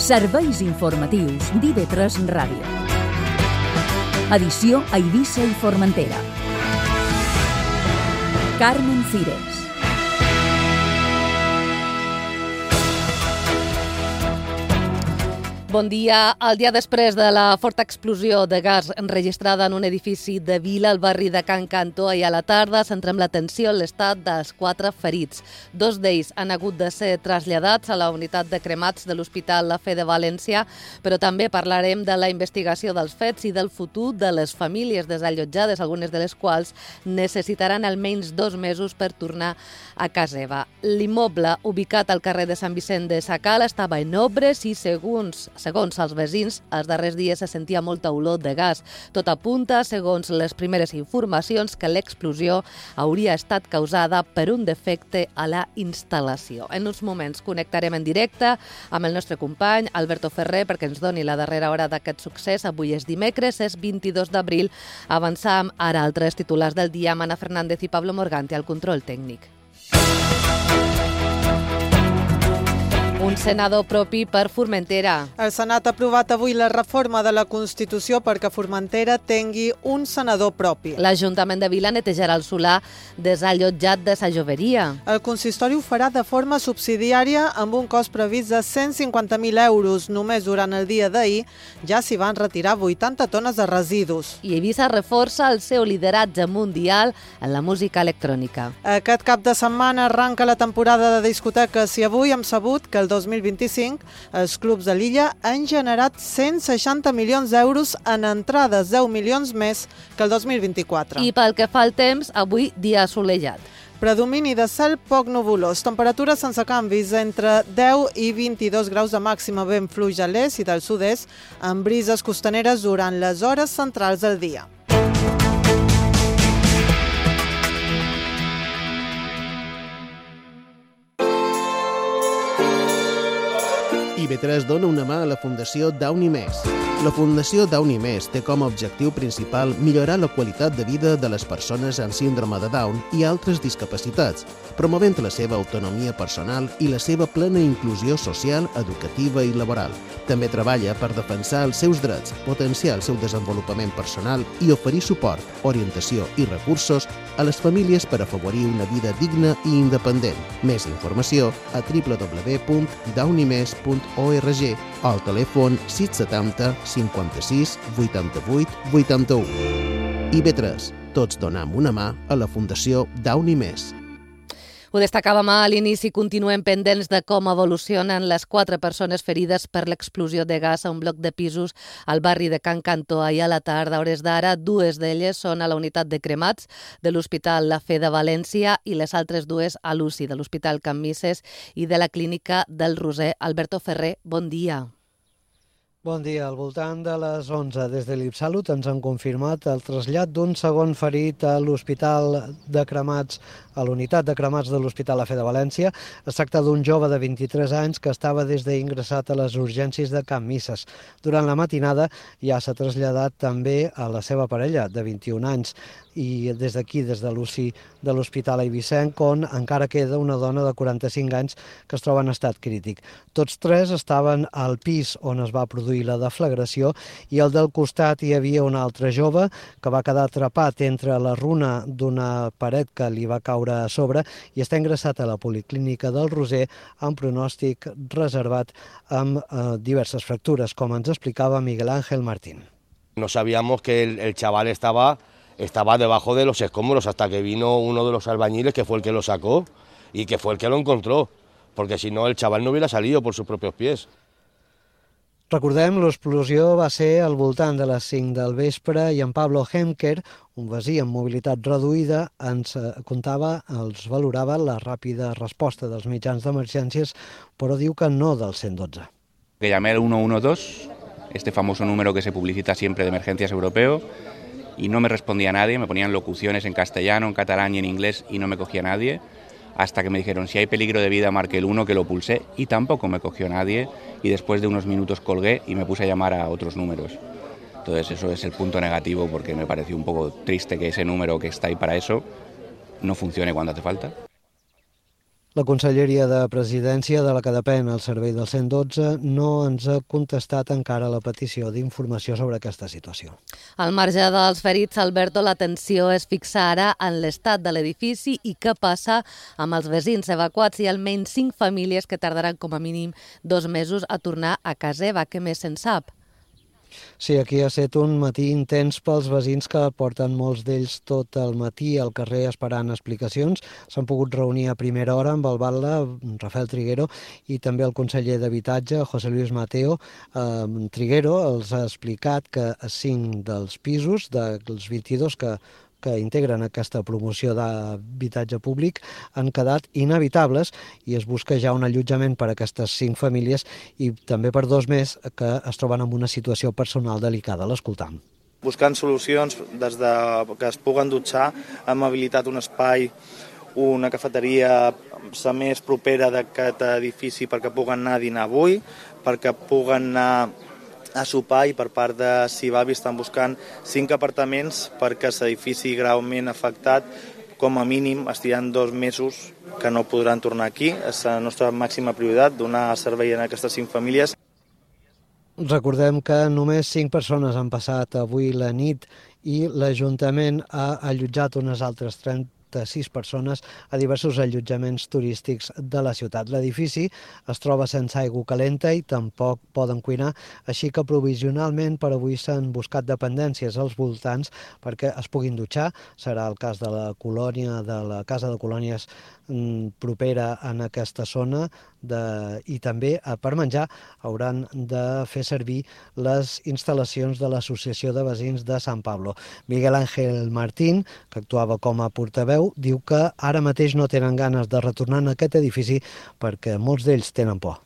Serveis informatius d'IV3 Ràdio. Edició a Eivissa i Formentera. Carmen Cires. Bon dia. El dia després de la forta explosió de gas enregistrada en un edifici de Vila, al barri de Can Cantó, ahir a la tarda, centrem l'atenció en l'estat dels 4 ferits. 2 d'ells han hagut de ser traslladats a la unitat de cremats de l'Hospital La Fe de València, però també parlarem de la investigació dels fets i del futur de les famílies desallotjades, algunes de les quals necessitaran almenys 2 mesos per tornar a casa seva. L'immoble, ubicat al carrer de Sant Vicent de Sacala, estava en obres i, segons els veïns, els darrers dies se sentia molta olor de gas. Tot apunta, segons les primeres informacions, que l'explosió hauria estat causada per un defecte a la instal·lació. En uns moments connectarem en directe amb el nostre company Alberto Ferrer perquè ens doni la darrera hora d'aquest succés. Avui és dimecres, és 22 d'abril. Avançam ara altres titulars del dia amb Ana Fernández i Pablo Morgante al control tècnic. Un senador propi per Formentera. El Senat ha aprovat avui la reforma de la Constitució perquè Formentera tingui un senador propi. L'Ajuntament de Vila netejarà el solar desallotjat de sa Joveria. El consistori ho farà de forma subsidiària amb un cost previst de 150.000 euros. Només durant el dia d'ahir ja s'hi van retirar 80 tones de residus. I Eivissa reforça el seu lideratge mundial en la música electrònica. Aquest cap de setmana arranca la temporada de discoteques i avui hem sabut que el 2025 els clubs de l'illa han generat 160 milions d'euros en entrades, 10 milions més que el 2024. I pel que fa al temps, avui dia assolellat. Predomini de cel poc nuvolós, temperatures sense canvis entre 10 i 22 graus de màxima, vent fluix a l'est i del sud-est, amb brises costaneres durant les hores centrals del dia. IV3 dona una mà a la Fundació Downy Més. La Fundació Downy Més té com a objectiu principal millorar la qualitat de vida de les persones amb síndrome de Down i altres discapacitats, promovent la seva autonomia personal i la seva plena inclusió social, educativa i laboral. També treballa per defensar els seus drets, potenciar el seu desenvolupament personal i oferir suport, orientació i recursos a les famílies per afavorir una vida digna i independent. Més informació a www.downymes.org o al telèfon 670 56 88 81. IV3, tots donem una mà a la Fundació Downy Més. Ho destacàvem a l'inici, continuem pendents de com evolucionen les 4 persones ferides per l'explosió de gas a un bloc de pisos al barri de Can Cantó ahir a la tarda. A hores d'ara, 2 d'elles són a la unitat de cremats de l'Hospital La Fe de València i les altres 2 a l'UCI de l'Hospital Can Misses i de la Clínica del Roser. Alberto Ferrer, bon dia. Bon dia. Al voltant de les 11 des de l'Ipsalut ens han confirmat el trasllat d'un segon ferit a l'Hospital de Cremats, a l'unitat de cremats de l'Hospital La Fe de València. Es tracta d'un jove de 23 anys que estava des d'ingressat a les urgències de Can Misses. Durant la matinada ja s'ha traslladat també a la seva parella, de 21 anys, i des d'aquí, des de l'UCI de l'Hospital Eivissenc, on encara queda una dona de 45 anys que es troba en estat crític. Tots 3 estaven al pis on es va produir la deflagració i al del costat hi havia un altre jove que va quedar atrapat entre la runa d'una paret que li va caure a sobre i està ingressat a la Policlínica del Roser amb pronòstic reservat amb diverses fractures, com ens explicava Miguel Ángel Martín. No sabíamos que el chaval estaba debajo de los escombros hasta que vino uno de los albañiles que fue el que lo sacó y que fue el que lo encontró, porque si no el chaval no hubiera salido por sus propios pies. Recordem, l'explosió va ser al voltant de les 5 del vespre i en Pablo Hemker, un veí amb mobilitat reduïda, ens valorava la ràpida resposta dels mitjans d'emergències, però diu que no del 112. Que llamé al 112, este famoso número que se publicita siempre de emergencias europeo, y no me respondía nadie, me ponían locuciones en castellano, en catalán y en inglés y no me cogía nadie, hasta que me dijeron si hay peligro de vida marque el 1, que lo pulsé y tampoco me cogió nadie y después de unos minutos colgué y me puse a llamar a otros números. Entonces eso es el punto negativo porque me pareció un poco triste que ese número que está ahí para eso no funcione cuando hace falta. La Conselleria de Presidència, de la que depèn el servei del 112, no ens ha contestat encara la petició d'informació sobre aquesta situació. Al marge dels ferits, Alberto, l'atenció es fixa ara en l'estat de l'edifici i què passa amb els veïns evacuats i almenys 5 famílies que tardaran com a mínim 2 mesos a tornar a casa seva. Què més se'n sap? Sí, aquí ha estat un matí intens pels veïns que porten molts d'ells tot el matí al carrer esperant explicacions. S'han pogut reunir a primera hora amb el batlle Rafael Triguero i també el conseller d'Habitatge, José Luis Mateo. Triguero els ha explicat que 5 dels pisos, dels 22 que integren aquesta promoció d'habitatge públic, han quedat inhabitables i es busca ja un allotjament per a aquestes 5 famílies i també per 2 més que es troben en una situació personal delicada. L'escoltam. Buscant solucions des de que es puguen dutxar, hem habilitat un espai, una cafeteria més propera d'aquest edifici perquè puguen anar a dinar avui, perquè puguen anar a sopar i per part de Sivavi estan buscant 5 apartaments perquè l'edifici greument afectat com a mínim estiran 2 mesos que no podran tornar aquí. És la nostra màxima prioritat, donar servei a aquestes 5 famílies. Recordem que només 5 persones han passat avui la nit i l'Ajuntament ha allotjat unes altres 36 persones a diversos allotjaments turístics de la ciutat. L'edifici es troba sense aigua calenta i tampoc poden cuinar, així que provisionalment per avui s'han buscat dependències als voltants perquè es puguin dutxar. Serà el cas de la colònia, de la Casa de Colònies propera en aquesta zona i també per menjar hauran de fer servir les instal·lacions de l'Associació de Veïns de Sant Pablo. Miguel Ángel Martín, que actuava com a portaveu, diu que ara mateix no tenen ganes de retornar a aquest edifici perquè molts d'ells tenen por.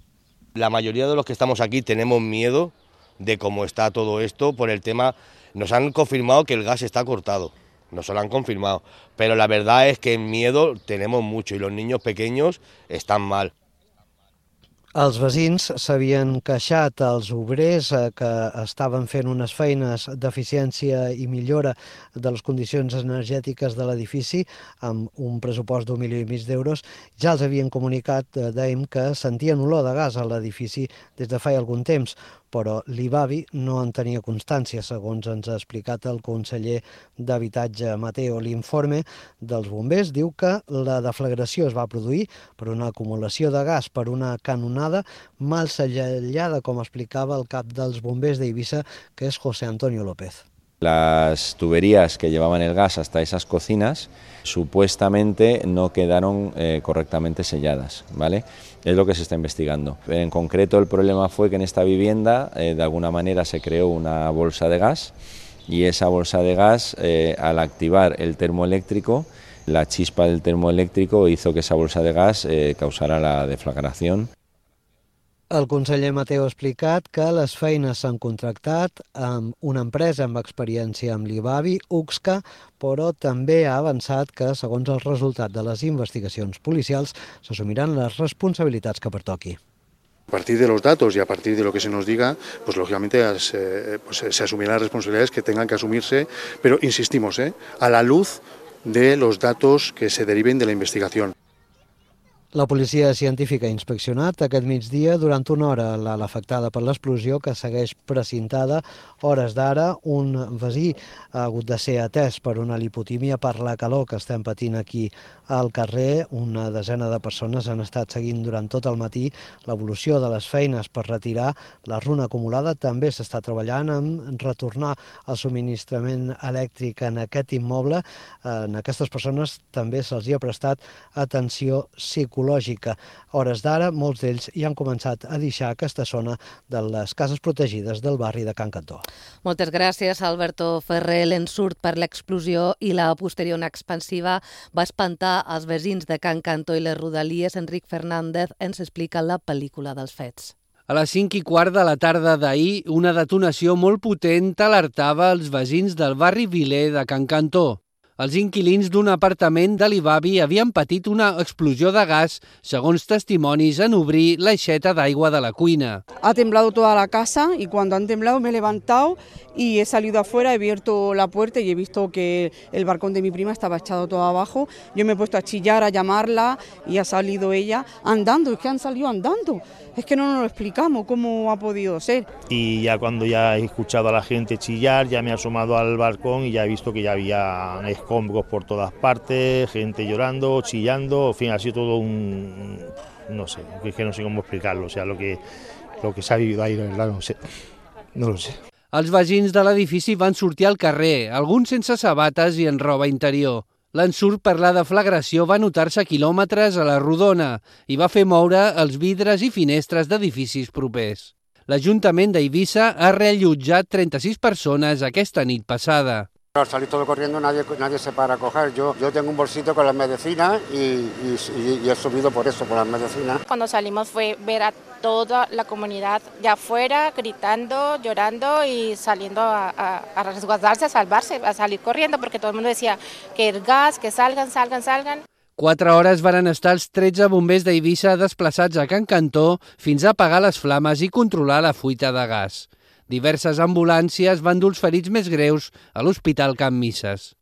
La mayoría de los que estamos aquí tenemos miedo de cómo está todo esto por el tema. Nos han confirmado que el gas está cortado. Nos lo han confirmado, pero la verdad es que en miedo tenemos mucho y los niños pequeños están mal. Els veïns s'havien queixat als obrers que estaven fent unes feines d'eficiència i millora de les condicions energètiques de l'edifici amb un pressupost d'1,5 milió d'euros. Ja els havien comunicat, dèiem, que sentien olor de gas a l'edifici des de fa algun temps, però l'IBAVI no en tenia constància, segons ens ha explicat el conseller d'Habitatge Mateo. L'informe dels bombers diu que la deflagració es va produir per una acumulació de gas per una canonada mal sellada, com explicava el cap dels bombers d'Eivissa, que és José Antonio López. Las tuberías que llevaban el gas hasta esas cocinas supuestamente no quedaron correctamente selladas, ¿vale? Es lo que se está investigando. En concreto, el problema fue que en esta vivienda de alguna manera se creó una bolsa de gas y esa bolsa de gas, al activar el termoeléctrico, la chispa del termoeléctrico hizo que esa bolsa de gas causara la deflagración. El conseller Mateo ha explicat que les feines s'han contractat amb una empresa amb experiència amb l'IBAVI, UXCA, però també ha avançat que, segons el resultat de les investigacions policials, s'assumiran les responsabilitats que pertoqui. A partir de los datos y a partir de lo que se nos diga, pues lógicamente se asumirán las responsabilidades que tengan que asumirse, pero insistimos, a la luz de los datos que se deriven de la investigación. La policia científica ha inspeccionat aquest migdia durant una hora l'ala afectada per l'explosió que segueix precintada. Hores d'ara, un veí ha hagut de ser atès per una lipotímia per la calor que estem patint aquí al carrer. Una desena de persones han estat seguint durant tot el matí l'evolució de les feines per retirar la runa acumulada. També s'està treballant en retornar el subministrament elèctric en aquest immoble. En aquestes persones també se'ls ha prestat atenció psicològica. Hores d'ara, molts d'ells ja han començat a deixar aquesta zona de les cases protegides del barri de Can Cantó. Moltes gràcies, Alberto Ferrer. L'ensurt per l'explosió i la posterior expansiva va espantar els veïns de Can Cantó i les rodalies. Enric Fernández ens explica la pel·lícula dels fets. A les 5:15 de la tarda d'ahir, una detonació molt potent alertava els veïns del barri Viler de Can Cantó. Els inquilins d'un apartament de l'Ibavi havien patit una explosió de gas, segons testimonis, en obrir l'aixeta d'aigua de la cuina. Ha temblado toda la casa y cuando han temblado me he levantado y he salido afuera, he abierto la puerta y he visto que el balcón de mi prima estaba echado todo abajo. Yo me he puesto a chillar, a llamarla y ha salido ella andando, es que han salido andando. Es que no nos lo explicamos cómo ha podido ser. Y ya cuando ya he escuchado a la gente chillar, ya me he asomado al balcón y ya he visto que ya había escombros por todas partes, gente llorando, chillando, en fin, ha sido todo un... no sé, es que no sé cómo explicarlo, o sea, lo que s'ha vivido ahí, la verdad, no lo sé. Els veïns de l'edifici van sortir al carrer, alguns sense sabates i en roba interior. L'ensurt per la deflagració va notar-se a quilòmetres a la rodona i va fer moure els vidres i finestres d'edificis propers. L'Ajuntament d'Eivissa ha reallotjat 36 persones aquesta nit passada. Al salir todo corriendo nadie se para a coger. Yo tengo un bolsito con las medicinas y he subido por eso, por las medicinas. Cuando salimos fue ver a toda la comunidad de afuera gritando, llorando y saliendo a resguardarse, a salvarse, a salir corriendo porque todo el mundo decía que el gas, que salgan. 4 hores varen estar els 13 bombers d'Eivissa desplaçats a Can Cantó fins a apagar les flames i controlar la fuita de gas. Diverses ambulàncies van dur els ferits més greus a l'Hospital Can Misses.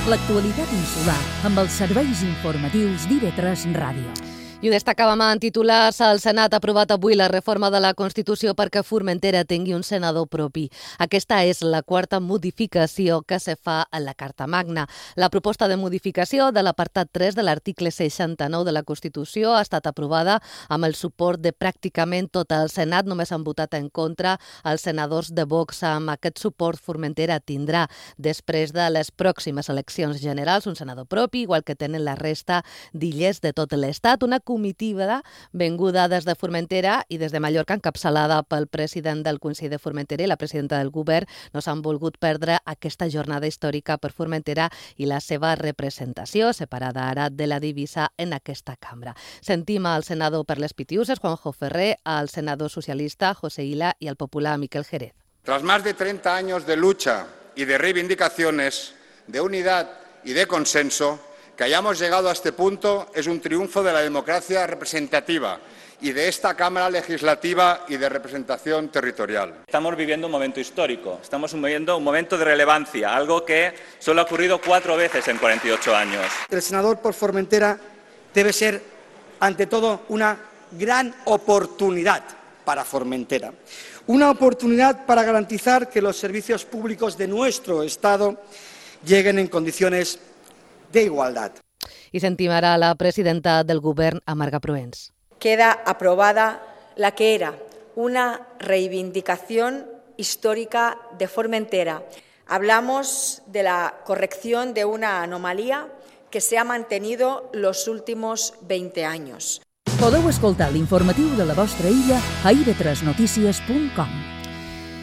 L'actualitat insular amb els serveis informatius d'IV3 Ràdio. I ho destacàvem en titulars. El Senat ha aprovat avui la reforma de la Constitució perquè Formentera tingui un senador propi. Aquesta és la quarta modificació que se fa a la Carta Magna. La proposta de modificació de l'apartat 3 de l'article 69 de la Constitució ha estat aprovada amb el suport de pràcticament tot el Senat. Només han votat en contra els senadors de Vox. Amb aquest suport, Formentera tindrà, després de les pròximes eleccions generals, un senador propi, igual que tenen la resta d'illes de tot l'Estat. Una comitiva venguda des de Formentera i des de Mallorca, encapçalada pel president del Consell de Formentera i la presidenta del govern, no s'han volgut perdre aquesta jornada històrica per Formentera i la seva representació, separada ara de la divisa en aquesta cambra. Sentim al senador per les Pitiuses, Juanjo Ferrer, al senador socialista, José Ila, i al popular Miquel Jerez. Tras más de 30 años de lucha y de reivindicaciones, de unidad y de consenso, que hayamos llegado a este punto es un triunfo de la democracia representativa y de esta Cámara Legislativa y de representación territorial. Estamos viviendo un momento histórico, estamos viviendo un momento de relevancia, algo que solo ha ocurrido 4 veces en 48 años. El senador por Formentera debe ser, ante todo, una gran oportunidad para Formentera. Una oportunidad para garantizar que los servicios públicos de nuestro Estado lleguen en condiciones de igualdad. I sentim ara la presidenta del govern, Amarga Proens. Queda aprobada la que era una reivindicación histórica de Formentera. Hablamos de la corrección de una anomalía que se ha mantenido los últimos 20 años. Podeu escoltar l'informatiu de la vostra illa a ib3notícies.com.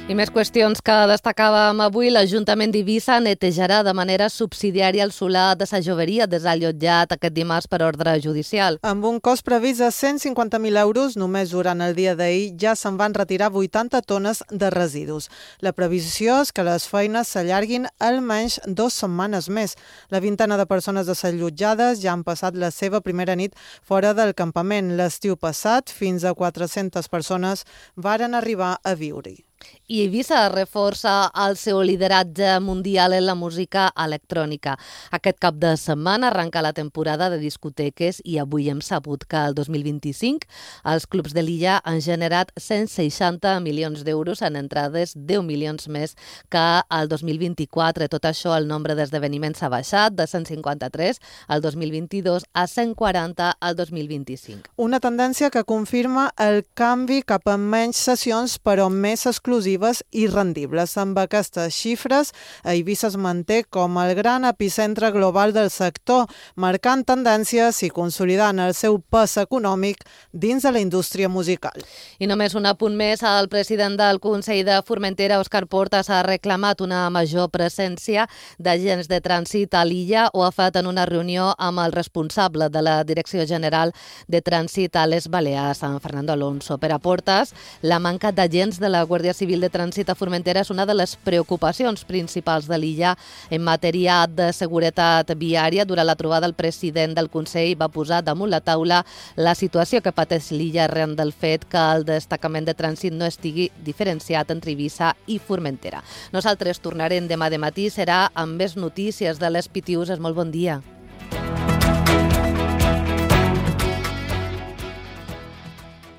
I més qüestions que destacàvem avui. L'Ajuntament d'Eivissa netejarà de manera subsidiària el solar de sa Joveria desallotjat aquest dimarts per ordre judicial. Amb un cost previst de 150.000 euros, només durant el dia d'ahir ja se'n van retirar 80 tones de residus. La previsió és que les feines s'allarguin almenys 2 setmanes més. La vintena de persones desallotjades ja han passat la seva primera nit fora del campament. L'estiu passat, fins a 400 persones varen arribar a viure-hi. I Eivissa reforça el seu lideratge mundial en la música electrònica. Aquest cap de setmana arrenca la temporada de discoteques i avui hem sabut que el 2025 els clubs de l'illa han generat 160 milions d'euros en entrades, 10 milions més que el 2024. Tot això, el nombre d'esdeveniments ha baixat de 153 al 2022 a 140 al 2025. Una tendència que confirma el canvi cap a menys sessions però més exclusives i rendibles. Amb aquestes xifres, Eivissa es manté com el gran epicentre global del sector, marcant tendències i consolidant el seu pes econòmic dins de la indústria musical. I només un apunt més, el president del Consell de Formentera, Òscar Portas, ha reclamat una major presència d'agents de trànsit a l'illa. Ho ha fet en una reunió amb el responsable de la Direcció General de Trànsit a les Balears, en Fernando Alonso. Per a Portas, la manca d'agents de la Guàrdia Civil de trànsit a Formentera és una de les preocupacions principals de l'illa en matèria de seguretat viària. Durant la trobada, el president del Consell va posar damunt la taula la situació que pateix l'illa arran del fet que el destacament de trànsit no estigui diferenciat entre Eivissa i Formentera. Nosaltres tornarem demà de matí, serà amb més notícies de les PTUs. Molt bon dia.